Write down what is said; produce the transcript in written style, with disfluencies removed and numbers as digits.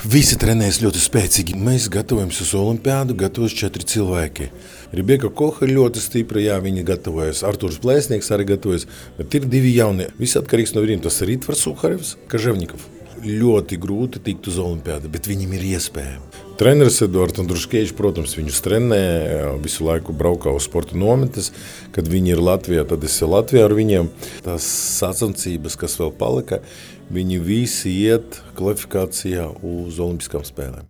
Visi trenējas ļoti spēcīgi. Mēs gatavojamies uz olimpiādu, gatavojas 4 cilvēki. Rebeka Koha ļoti stipra, jā, viņa gatavojas. Arturs Plēsnieks arī gatavojas, bet ir 2 jaunie. Viss atkarīgs no viņiem. Tas ir Ritvars Suharevs, Kaževņikov. Ļoti grūti tikt uz olimpiādu, bet viņam ir iespēja. Treneris Eduards Andruškevičs, protams, viņus trenē, visu laiku braukā uz sporta nometnes. Kad viņi ir Latvijā, tad es ir Latvijā ar viņiem. Tās sacensības, kas vēl palika, viņi visi iet kvalifikācijā uz olimpiskām spēlēm.